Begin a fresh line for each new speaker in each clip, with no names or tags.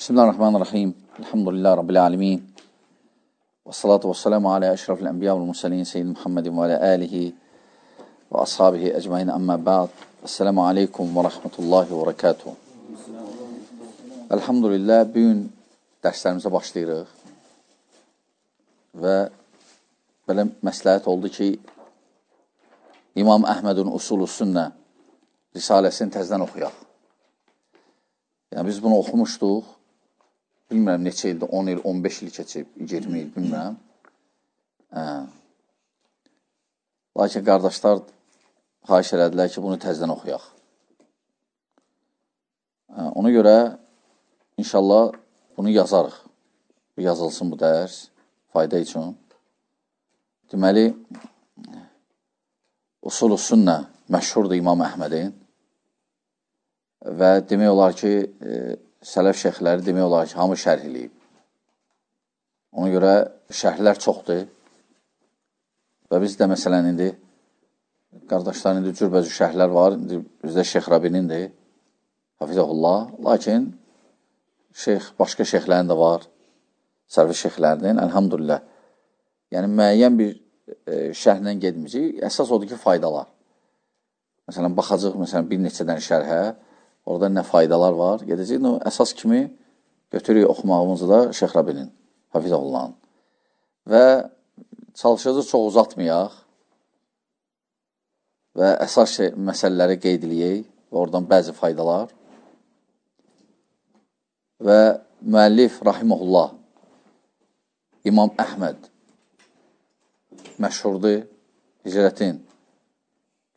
Bismillahirrahmanirrahim. Elhamdülillah Rabbil alemin. Və salatu və salamu alə əşrafil ənbiya və mürsəlin Seyyid Muhammedin və alə alihi və ashabihi əcmain əmmə ba'd. Esselamu aleykum və rəhmətullahi və bərəkatuhu. Elhamdülillah, bugün dərslərimizə başlayırıq və belə məsləhət oldu ki, İmam Əhmədin Usulü Sünnə risaləsini təzdən oxuyaq. Yəni, biz bunu oxumuşduq, bilmirəm neçə ildir, 10 il, 15 il keçib, 20 il, bilmirəm. Lakin qardaşlar xahiş elədilər ki, bunu təzdən oxuyaq. Ona görə, inşallah, bunu yazarıq. Yazılsın bu dərs, fayda üçün. Deməli, Usulü Sünnə məşhurdur İmam Əhmədin və demək olar ki, sələf şeyxləri demək olar ki, hamı şərh eləyib. Ona görə şərhlər çoxdur və bizdə məsələn indi qardaşların indi cürbəcür şərhlər var. İndi bizdə Şeyx Rabinindir, hafizəhullah. Lakin başqa şeyxlərin də var, sərvi şeyxlərinin, əlhamdülillah. Yəni, müəyyən bir şərhlə gedməyəcək. Əsas odur ki, faydalar. Məsələn, baxacaq bir neçədən şərhə, orada nə faydalar var, gedəcək. Əsas kimi götürük oxumağımızı da Şeyx Rabinin, hafizəhullahın. Və çalışacaq çox uzatmayaq və əsas məsələləri qeyd edəyək və oradan bəzi faydalar. Və müəllif, rahiməhullah, İmam Əhməd məşhurdur, hicrətin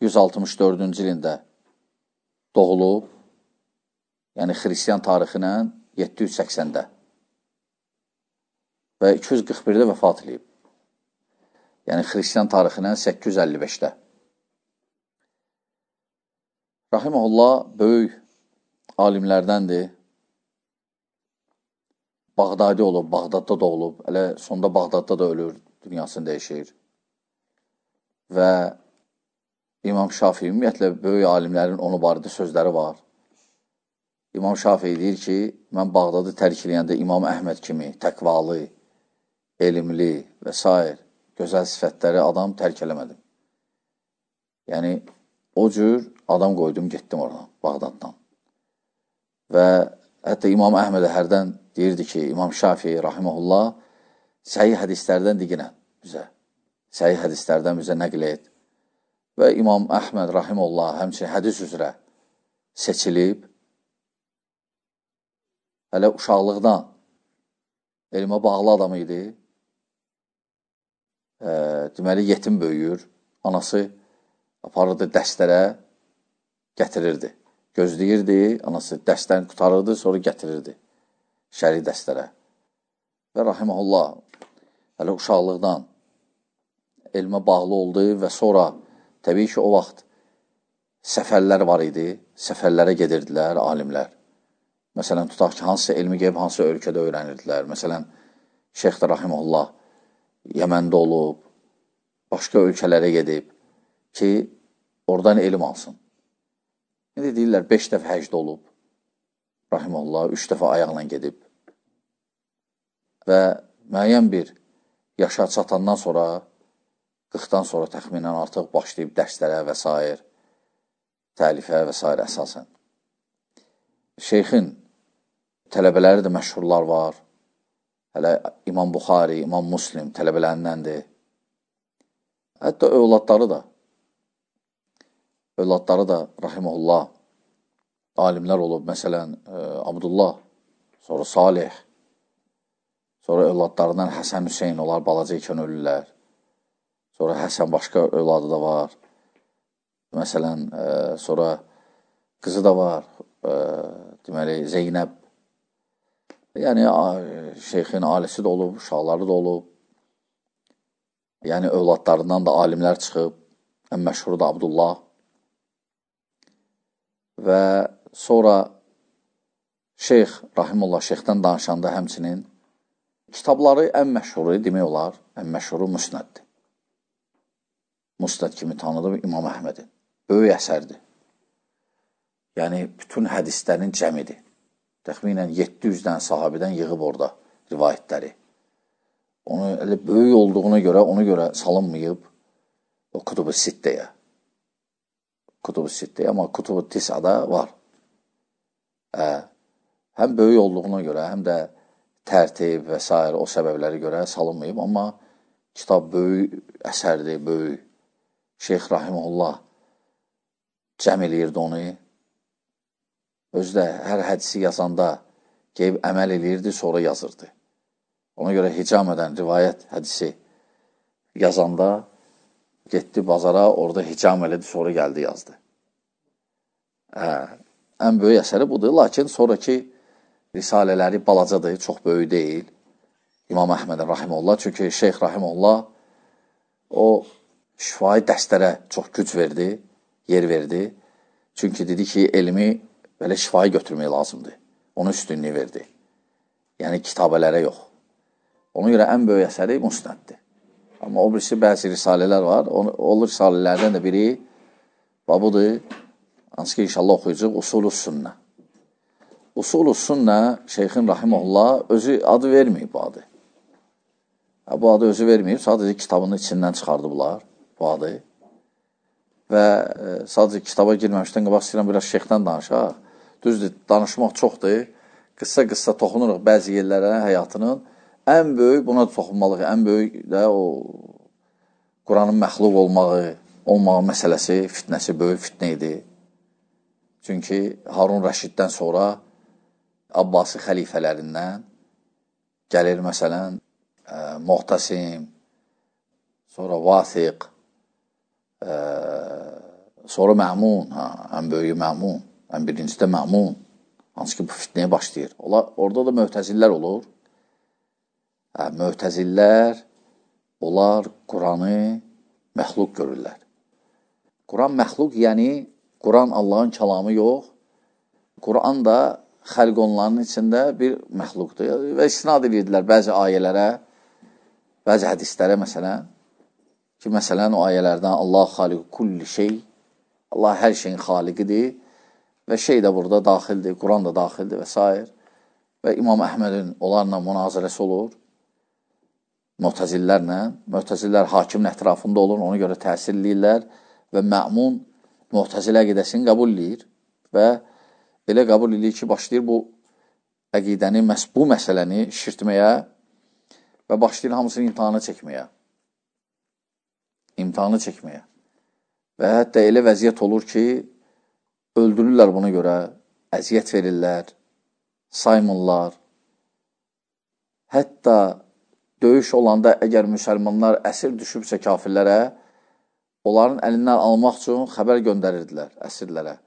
164-cü ilində doğulub, yəni xristiyan tarixinə 780-də və 241-də vəfat edib. Yəni, xristiyan tarixinə 855-də. Rahiməhullah böyük alimlərdəndir. Bağdadi olub, Bağdadda doğulub, elə sonda Bağdadda da ölür, dünyasını dəyişir. Və İmam Şafii, ümumiyyətlə, böyük alimlərin onu barədə sözləri var. İmam Şafii deyir ki, mən Bağdadı tərk eləyəndə İmam Əhməd kimi təqvalı, elmli və s. gözəl sifətləri adam tərk eləmədim. Yəni, o cür adam qoydum, getdim oradan, Bağdaddan. Və hətta İmam Əhmədə hərdən deyirdi ki, İmam Şafii, rahiməhullah, səhih hədislərdən diginən bizə. Səhih hədislərdən bizə nəql et. Və İmam Əhməd, rahiməhullah, həmçinin hədis üzrə seçilib, hələ uşaqlıqdan elmə bağlı adam idi. Deməli, yetim böyüyür. Anası aparırdı dərslərə, gətirirdi. Gözləyirdi, anası dərslərini qutarırdı, sonra gətirirdi şəri dərslərə. Və rahiməhullah, hələ uşaqlıqdan elmə bağlı oldu və sonra, təbii ki, o vaxt səfərlər var idi, səfərlərə gedirdilər alimlər. Məsələn, tutaq ki, hansısa elmi qeyb, hansısa ölkədə öyrənirdilər. Məsələn, Şeyx də rahiməhullah Yəməndə olub, başqa ölkələrə gedib ki, oradan elm alsın. İndi deyirlər, 5 dəfə həcdə olub, rahiməhullah, 3 dəfə ayaqla gedib və müəyyən bir yaşa çatandan sonra, 40-dan sonra təxminən artıq başlayıb dərslərə və s. təlifə və s. əsasən. Şeyxin tələbələri də məşhurlar var. Hələ İmam Buxari, İmam Muslim tələbələrindəndir. Hətta övladları da rahiməhullah alimlər olub. Məsələn, Abdullah, sonra Salih, sonra övladlarından Həsən Hüseyin, onlar balaca ikən ölürlər. Sonra Həsən başqa övladı da var. Məsələn, sonra qızı da var, deməli, Zeynəb. Yəni, şeyxin ailesi də olub, uşaqları da olub. Yəni, övladlarından da alimlər çıxıb. Ən məşhuru da Abdullah. Və sonra şeyx, rahimullah, şeyxdən danışanda həmçinin kitabları ən məşhuru, demək olar, ən məşhuru Müsnəddir. Müsnəd kimi tanıdım İmam Əhmədin. Böyük əsərdir. Yəni, bütün hədislərin cəmidir. Təxminən 700-dən sahabədən yığıb orada rivayətləri. Onu elə böyük olduğuna görə, ona görə salınmayıb o Kutubu Sittəyə. Kutubu Sittəyə, amma Kutubu Tisada var. Həm böyük olduğuna görə, həm də tərtib və s. o səbəbləri görə salınmayıb, amma kitab böyük əsərdir, böyük. Şeyx Rahimullah cəm eləyirdi onu. Özü də hər hədisi yazanda qeyb əməl eləyirdi, sonra yazırdı. Ona görə hicamədən rivayət hədisi yazanda getdi bazara, orada hicam elədi, sonra gəldi yazdı. Ən böyük əsəri budur, lakin sonraki risalələri balacadır, çox böyük deyil. İmam Əhmədin Rahimullah, çünki Şeyx Rahimullah o şifai dəstlərə çox güc verdi, yer verdi. Çünki dedi ki, elmi belə şifai götürmək lazımdır. Onun üstünlüyü verdi. Yəni kitabələrə yox. Ona görə ən böyük əsəri Musnəddir. Amma o birisi bəzi risalələr var. O risalələrdən də biri budur. Hansı ki, inşallah oxuyacaq Usulus Sünnə. Usulus Sünnə Şeyxin Rahimullah özü adı verməyib bu adı. Bu adı özü verməyib, sadəcə kitabının içindən çıxardıblar bu adı. Və sadəcə kitaba girməmişdən qabaq istəyirəm biraz şeyxdən danışaq. Düzdür, danışmaq çoxdur. Qısa-qısa toxunuruq bəzi yerlərə həyatının. Ən böyük, buna da toxunmalıq, ən böyük də o Quranın məxluq olmağı məsələsi, fitnəsi böyük fitnə idi. Çünki Harun Rəşiddən sonra Abbasi xəlifələrindən gəlir məsələn Muhtasim, sonra Vasiq, sonra Məmun, ən böyüyü Məmun, ən birincisi də Məmun, hansı ki bu fitnəyə başlayır. Orada da möhtəzillər olur. Möhtəzillər, onlar Quranı məxluq görürlər. Quran məxluq, yəni Quran Allahın kəlamı yox. Quran da xəlq onların içində bir məxluqdur. Və istinad edirdilər bəzi ayələrə, bəzi hədislərə məsələn, ki, məsələn, o ayələrdən Allah xaliqü kulli şey, Allah hər şeyin xaliqidir və şey də burada daxildir, Quran da daxildir və s. Və İmam Əhmədin onlarla münazirəsi olur, Mu'təzillərlə. Mu'təzillər hakimin ətrafında olur, ona görə təsir eləyirlər və Məmun Mu'təzilə əqidəsini qəbul eləyir və elə qəbul eləyir ki, başlayır bu əqidəni, bu məsələni şişirtməyə və başlayır hamısını imtihanı çəkməyə. Və hətta elə vəziyyət olur ki, öldürürlər buna görə, əziyyət verirlər, saymırlar. Hətta döyüş olanda əgər müsəlmanlar əsir düşübsə kafirlərə, onların əlindən almaq üçün xəbər göndərirdilər əsirlərə.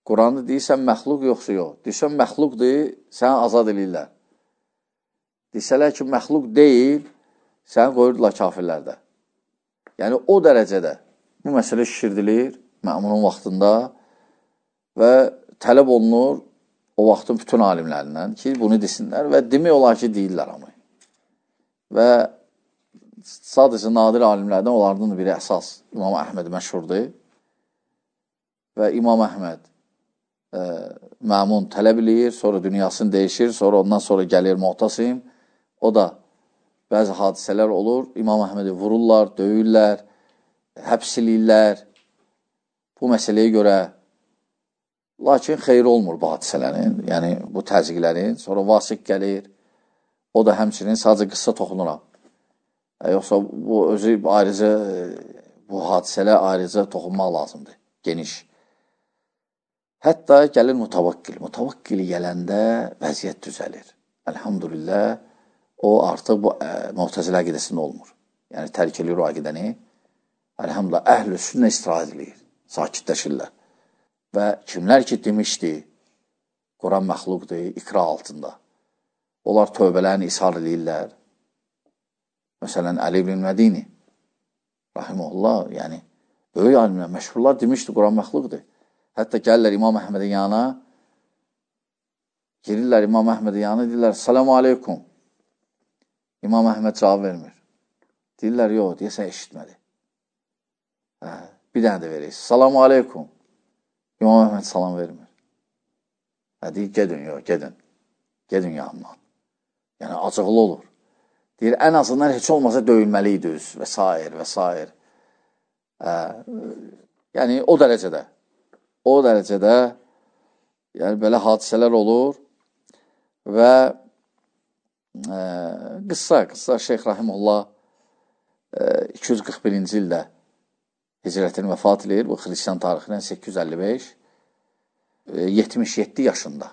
Quranı deyirsən məxluq yoxsa yox. Deyirsən məxluqdur, səni azad edirlər. Desələr ki, məxluq deyil, səni qoyurdular kafirlərdə. Yəni, o dərəcədə bu məsələ şişirdilir Məmunun vaxtında və tələb olunur o vaxtın bütün alimlərindən ki, bunu desinlər və demək olar ki, deyirlər amma. Və sadəcə nadir alimlərdən onlardan biri əsas İmam Əhməd məşhurdur və İmam Əhməd Məmun tələb eləyir, sonra dünyasını dəyişir, sonra ondan sonra gəlir Mu'tasim. O da bəzi hadisələr olur, İmam Əhmədi vururlar, döyürlər, həbs eləyirlər bu məsələyə görə. Lakin xeyri olmur bu hadisələrin, yəni bu təzyiqlərin. Sonra Vasiq gəlir, o da həmçinin sadəcə qısa toxunuram. Yoxsa bu özü ayrıca, bu hadisələ ayrıca toxunmaq lazımdır, geniş. Hətta gəlir Mutavakkil. Mutavakkil gələndə vəziyyət düzəlir. Elhamdülillah, o artıq bu Mu'təzilə əqidəsində olmur. Yəni, tərk edir o əqidəni. Elhamdülillah, əhl-i sünnə istirahət edir, sakitləşirlər. Və kimlər ki demişdi, Quran məxluqdur, ikra altında. Onlar tövbələrini ishar edirlər. Məsələn, Əli ibn Mədini, rahiməhullah, yəni, böyük alimlər, məşhurlar demişdi, Quran məxluqdur. Hətta gəlirlər İmam Əhmədin yanına, girirlər İmam Əhmədin yanına, deyirlər, salamu aleykum. İmam Əhməd cavab vermir. Deyirlər, yox, deyəsən eşitmədi. Bir dənə də verək, salamu aleykum. İmam Əhməd salam vermir. Deyir, gedin, yox, gedin. gedin yanından. Yəni, acıqlı olur. Deyir, ən azından heç olmasa döyülməliydiniz və s. və s. Yəni, o dərəcədə. O dərəcədə yəni, belə hadisələr olur və qıssa Şeyx Rahimullah 241-ci ildə hicrətini vəfat edir. Bu, xristiyan tarixindən 855. 77 yaşında.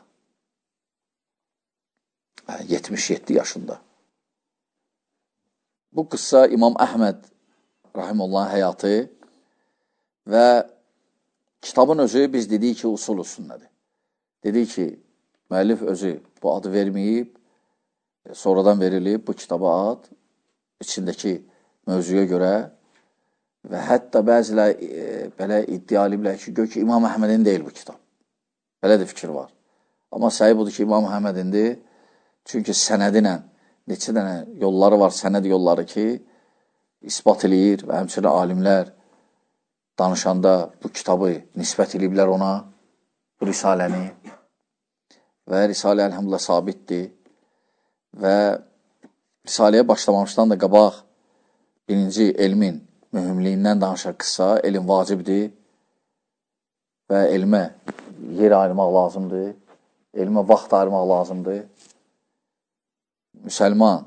77 yaşında. Bu qıssa İmam Əhməd Rahimullahın həyatı və kitabın özü biz dedik ki, usul sünnədir. Dedik ki, müəllif özü bu adı verməyib, sonradan verilib bu kitaba ad, içindəki mövzuya görə və hətta bəzilər belə iddia ediblər ki, gör ki, İmam Əhmədin deyil bu kitab. Belə də fikir var. Amma səhi budur ki, İmam Əhmədindir. Çünki sənədinə neçə dənə yolları var, sənəd yolları ki, isbat eləyir və həmçinin alimlər danışanda bu kitabı nisbət eləyiblər ona, bu risaləni və risalə əlhamdülillah sabitdir və risaləyə başlamamışdan da qabaq birinci elmin mühümliyindən danışır qıssa, elm vacibdir və elmə yer ayırmaq lazımdır, elmə vaxt ayırmaq lazımdır. Müsəlman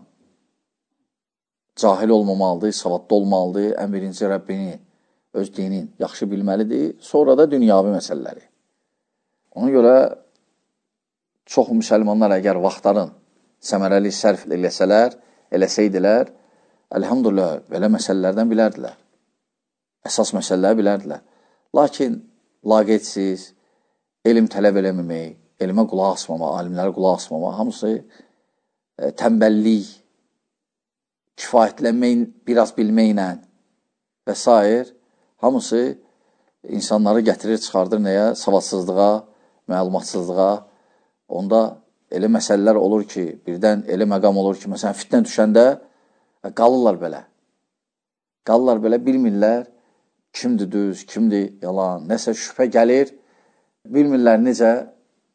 cahil olmamalıdır, savadlı olmalıdır, ən birinci Rəbbini, öz dinin yaxşı bilməlidir, sonra da dünyavi məsələləri. Ona görə çox müsəlmanlar əgər vaxtların səmərəli sərf eləsəydilər, əlhamdülillah, belə məsələlərdən bilərdilər. Əsas məsələləri bilərdilər. Lakin laqeydsiz, elm tələb eləməmək, elmə qulaq asmama, alimlərə qulaq asmama, hamısı tənbəllik, kifayətlənmək, biraz bilməklə və s. hamısı insanları gətirir, çıxardır nəyə? Savadsızlığa, məlumatsızlığa. Onda elə məsələlər olur ki, birdən elə məqam olur ki, məsələn, fitnə düşəndə qalırlar belə. Qalırlar belə, bilmirlər kimdir düz, kimdir yalan, nəsə şübhə gəlir, bilmirlər necə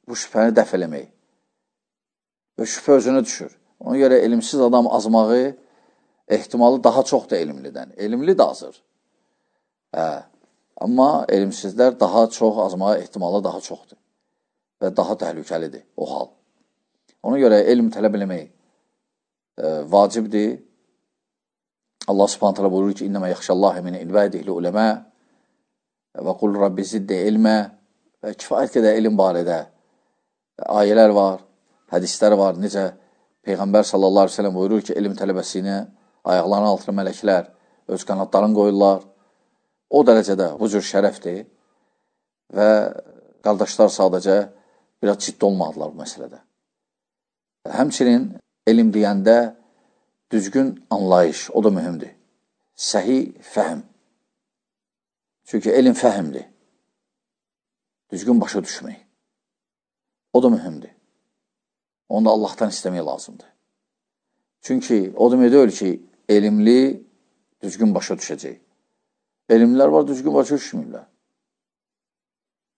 bu şübhəni dəf eləmək. Və şübhə özünə düşür. Ona görə elmsiz adam azmağı ehtimalı daha çoxdur elmlidən. Elmli də azır. Amma elmsizlər daha çox azmağı ehtimalı daha çoxdur. Və daha təhlükəlidir o hal. Ona görə elm tələb eləmək vacibdir. Allah subhanət hələ buyurur ki, İnnəmə yaxşəllahi min ilbədihli uləmə və qul Rabbi ziddə ilmə və kifayət qədər elm barədə ayələr var, hədislər var. Necə Peyğəmbər sallallahu aleyhi ve sellem buyurur ki, elm tələbəsinə ayaqlarının altına mələklər öz qanadlarını qoyurlar. O dərəcədə bu cür şərəfdir və qardaşlar sadəcə biraz ciddi olmadılar bu məsələdə. Həmçinin elm deyəndə düzgün anlayış, o da mühümdür. Səhi fəhm. Çünki elm fəhmdir. Düzgün başa düşmək. O da mühümdür. Onu da Allahdan istəmək lazımdır. Çünki o demək deyil ki, elmli düzgün başa düşəcək. Elmlər var, düzgün başa düşmürlər.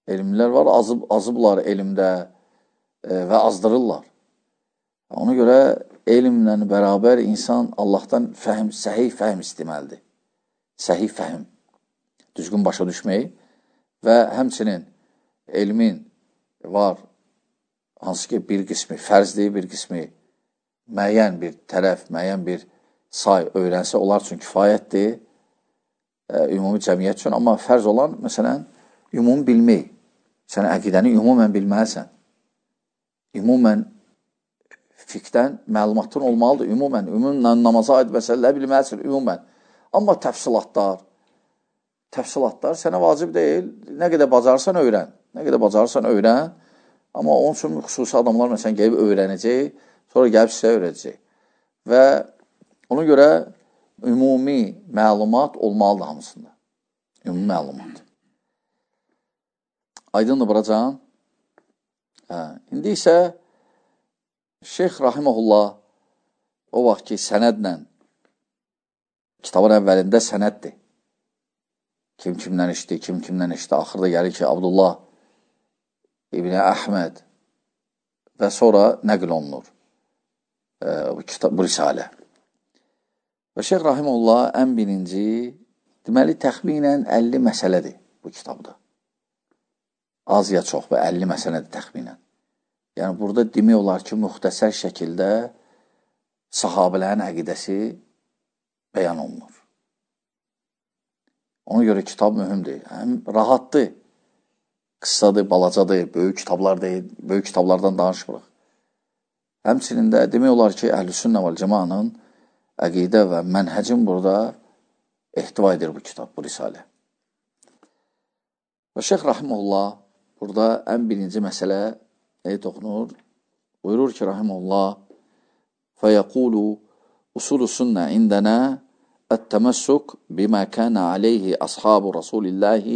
Elmlər var, azıblar elmdə və azdırırlar. Ona görə elmlə bərabər insan Allahdan səhih fəhm istəməlidir. Səhih fəhm. Düzgün başa düşmək və həmçinin elmin var, hansı ki bir qismi fərzdir, bir qismi müəyyən bir tərəf, müəyyən bir say öyrənsə, onlar üçün kifayətdir, ümumi cəmiyyət üçün. Amma fərz olan, məsələn, ümumi bilmək. Sən əqidəni ümumən bilməlisən. Ümumən fiqdən məlumatın olmalıdır. Ümumən namaza aid məsələləri bilməlisən, ümumən. Amma təfsilatlar sənə vacib deyil. Nə qədər bacarsan öyrən. Nə qədər bacarsan öyrən. Amma onun üçün xüsusi adamlar məsələn gəlib öyrənəcək, sonra gəlib sizə öyrədəcək. Və ona görə ümumi məlumat olmalıdır hamısında. Ümumi məlumat. Aydındır buracan. İndi isə Şeyx Rahiməhullah o vaxt ki sənədlə, kitabın əvvəlində sənəddir. Kim kimdən işdi, kim kimdən işdi. Axırda gəlir ki, Abdullah İbn Əhməd və sonra nəql olunur bu risalə. Və Şeyx Rahimullah ən birinci, deməli, təxminən 50 məsələdir bu kitabda. Az ya çox və 50 məsələdir təxminən. Yəni, burada demək olar ki, müxtəsər şəkildə sahabələrin əqidəsi bəyan olunur. Ona görə kitab mühümdür. Həm rahatdır, qıssadır, balacadır, böyük kitablar deyil, böyük kitablardan danışmırıq. Həmçinin də demək olar ki, Əhlüsünnə vəl Cəmaənin əqidə və mənhəcin burada ehtiva edir bu kitab, bu risalə. Və Şeyx Rahimullah burada ən birinci məsələ nəyə toxunur? Buyurur ki, Rahimullah فَيَقُولُ أُصُولُ السُنَّةِ عِنْدَنَا التَّمَسُّكُ بِمَا كَانَ عَلَيْهِ أَصْحَابُ رَسُولِ اللّٰهِ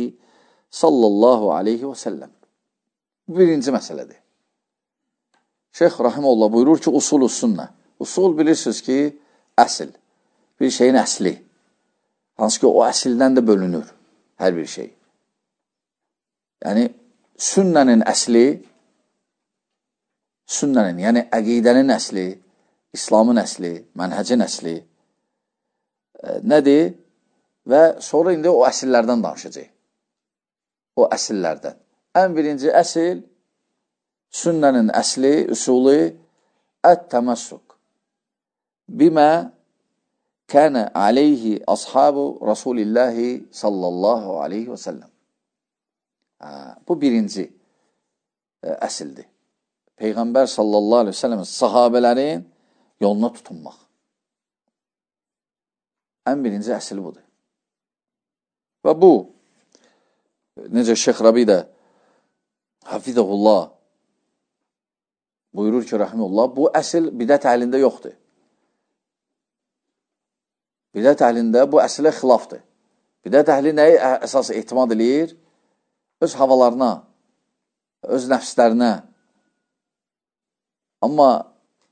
sallallahu aleyhi və səlləm. Bu birinci məsələdir. Şeyx Rahimullah buyurur ki, usulü sünnə. Usul bilirsiniz ki, əsl. Bir şeyin əsli. Hansı ki, o əsildən də bölünür hər bir şey. Yəni, sünnənin əsli, sünnənin, yəni əqidənin əsli, İslamın əsli, mənhəcin əsli nədir? Və sonra indi o əsillərdən danışacaq. O əsillərdən. Ən birinci əsil, sünnənin əsli, üsulu ət-təməssük bimə kənə aleyhi ashabu Rasulillahi sallallahu aleyhi və səlləm. Bu birinci əsildir. Peyğəmbər sallallahu aleyhi və səlləmin sahabələrin yoluna tutunmaq. Ən birinci əsli budur. Və bu, necə Şeyx Rabi də Hafizəhullah buyurur ki, Rahimullah, bu əsl bidət əhlində yoxdur. Bidət əhlində bu əslə xilafdır. Bidət əhli nəyi əsas ehtimad edir? Öz havalarına, öz nəfslərinə. Amma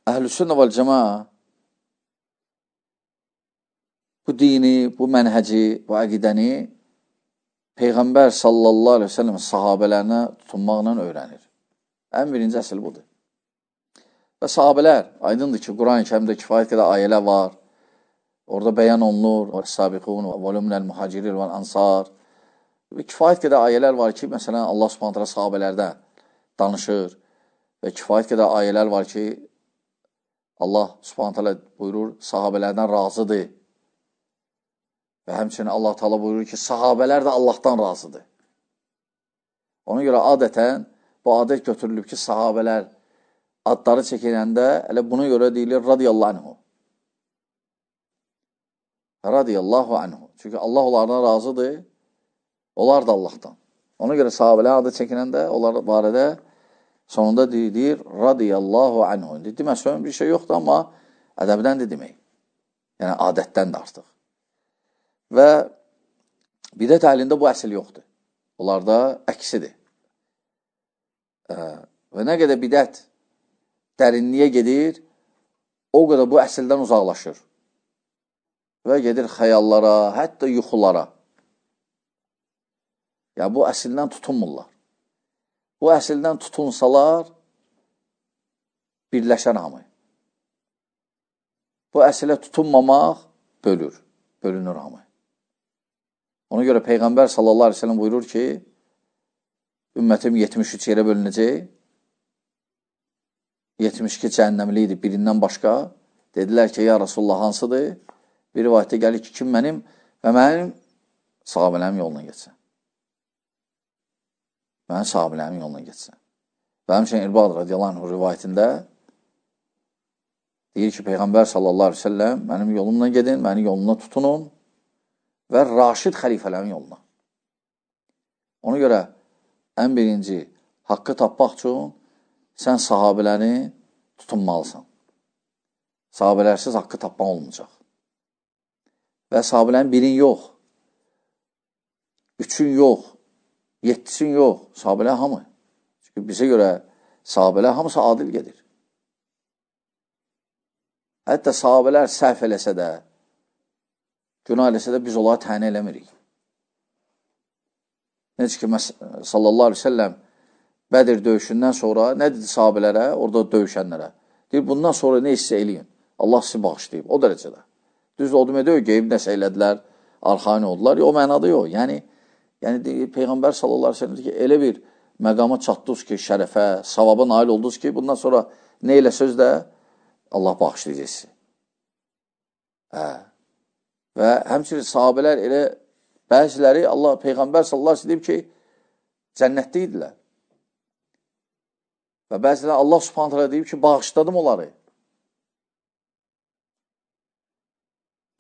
Əhlüsünnə vəl Cəmaə bu dini, bu mənhəci, bu əqidəni Peyğəmbər sallallahu aleyhi ve sellem sahabələrinə tutunmaqla öyrənir. Ən birinci əsl budur. Və sahabələr, aydındır ki, Quran-ı Kərimdə kifayət qədər ayələr var. Orada bəyan olunur. Sabiqun və volümnəl muhaciril və ansar. Və kifayət qədər ayələr var ki, məsələn, Allah subhanətlə sahabələrdə danışır. Və kifayət qədər ayələr var ki, Allah subhanətlə buyurur, sahabələrdən razıdır. Və həmçinin Allah Teala buyurur ki, sahabələr də Allahdan razıdır. Ona görə adətən bu adət götürülüb ki, sahabələr adları çəkiləndə elə buna görə deyilir radiyallahu anhu. Radiyallahu anhu. Çünki Allah onlardan razıdır, onlar da Allahdan. Ona görə sahabələr adı çəkiləndə onlar barədə sonunda deyilir radiyallahu anhu. Deməsəm bir şey yoxdur, amma ədəbdən də demək. Yəni adətdən də artıq. Və bidət əhlində bu əsl yoxdur. Onlarda əksidir. Və nə qədər bidət dərinliyə gedir, o qədər bu əsildən uzaqlaşır. Və gedir xəyallara, hətta yuxulara. Yəni, bu əsildən tutunmurlar. Bu əsildən tutunsalar, birləşən hamı. Buəsilə tutunmamaq bölünür hamı. Ona görə Peyğəmbər sallallahu aleyhi ve sellem buyurur ki, ümmətim 73 yerə bölünəcək, 72 cəhənnəmli idi birindən başqa. Dedilər ki, ya Rasulullah hansıdır? Bir rivayətdə gəlir ki, kim mənim və mənim sahabələrim yoluna geçsin. Mənim sahabələrim yoluna geçsin. Və həmçinin İrbad radiyallahu anh rivayətində deyir ki, Peyğəmbər sallallahu aleyhi ve sellem mənim yolumla gedin, mənim yoluna tutunun və Raşid xəlifələrin yoluna. Ona görə ən birinci haqqı tapmaq üçün sən sahabələri tutunmalısan. Sahabələrsiz haqqı tapmaq olmayacaq. Və sahabələrin birin yox, üçün yox, 7'sin yox, sahabələr hamı. Çünki bizə görə sahabələr hamısı adil gedir. Hətta sahabələr səhv eləsə də, günah eləsə də biz onlara tənə eləmirik. Necə ki, sallallahu aleyhi ve sellem Bədir döyüşündən sonra nə dedi sahabələrə, orada döyüşənlərə? Deyir, bundan sonra nə hissə eləyin? Allah sizi bağışlayıb, o dərəcədə. Düzdür, o demək deyil, qeyb nəsə elədilər, arxain oldular. O mənada yox. Yəni Peyğəmbər sallallahu aleyhi ve sellem ki, elə bir məqama çatdınız ki, şərəfə, savaba nail oldunuz ki, bundan sonra nə elə söz də Allah bağışlayacaq sizi. Və həmçinin sahabələr elə bəziləri Allah, Peyğəmbər sallallahu aleyhi ve sellem deyib ki, cənnətdə idilər. Və bəziləri Allah subhanahu teala deyib ki, bağışladım onları.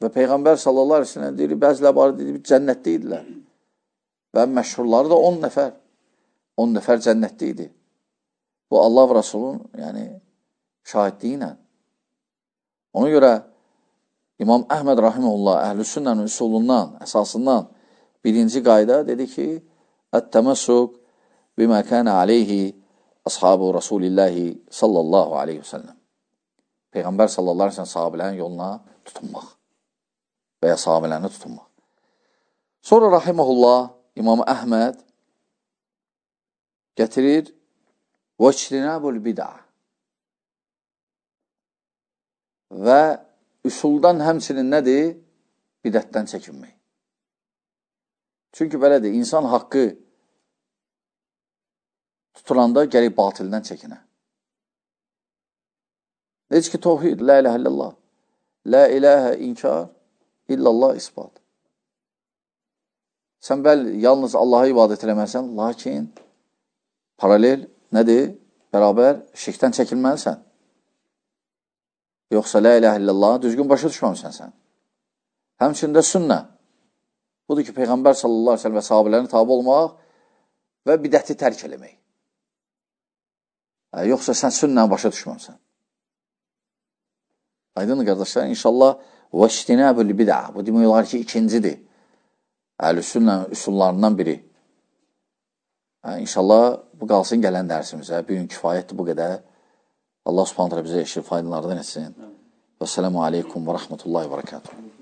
Və Peyğəmbər sallallahu aleyhi ve sellem deyir, bəziləri barədə deyib, cənnətdə idilər. Və məşhurları da 10 nəfər. 10 nəfər cənnətdə idi. Bu, Allah və Rasulun şahidliyi ilə. Ona görə İmam Əhməd Rahimullah Əhlüsünnənin üsulundan, əsasından birinci qayda dedi ki, Ət-təməssuk bimə kənə aleyhi ashabu Rasulillahi sallallahu aleyhi ve sellem. Peyğəmbər sallallahu aleyhi ve sellem sahabələrin yoluna tutunmaq və ya sahabələrini tutunmaq. Sonra Rahimullah İmam Əhməd gətirir vəçrinəbul bid'a və üsuldan həmçinin nədir? Bidətdən çəkinmək. Çünki belədir, insan haqqı tutulanda gərək batildən çəkinə. Necə ki, tohid, la iləhə illallah, la iləhə inkar, illallah isbat. Sən yalnız Allaha ibadət eləməlisən, lakin paralel nədir? Bərabər şirkdən çəkilməlisən. Yoxsa la iləhə illallah düzgün başa düşməmisən sən. Həmçində sünnə. Budur ki, Peyğəmbər sallallahu aleyhi ve sellem və sahabələrini tabi olmaq və bidəti tərk eləmək. Yoxsa sən sünnə başa düşməmsən. Aydın qardaşlar, inşallah vəştinəbül bid'a. Bu demək olar ki, ikincidir. Əhlüsünnə üsullarından biri. İnşallah bu qalsın gələn dərsimizə. Bir gün kifayətdir bu qədər. Allah subhanahu teala bizə eşir faydalardan etsin. Və selamu aleykum və rəhmətullahi və bərəkatuhu.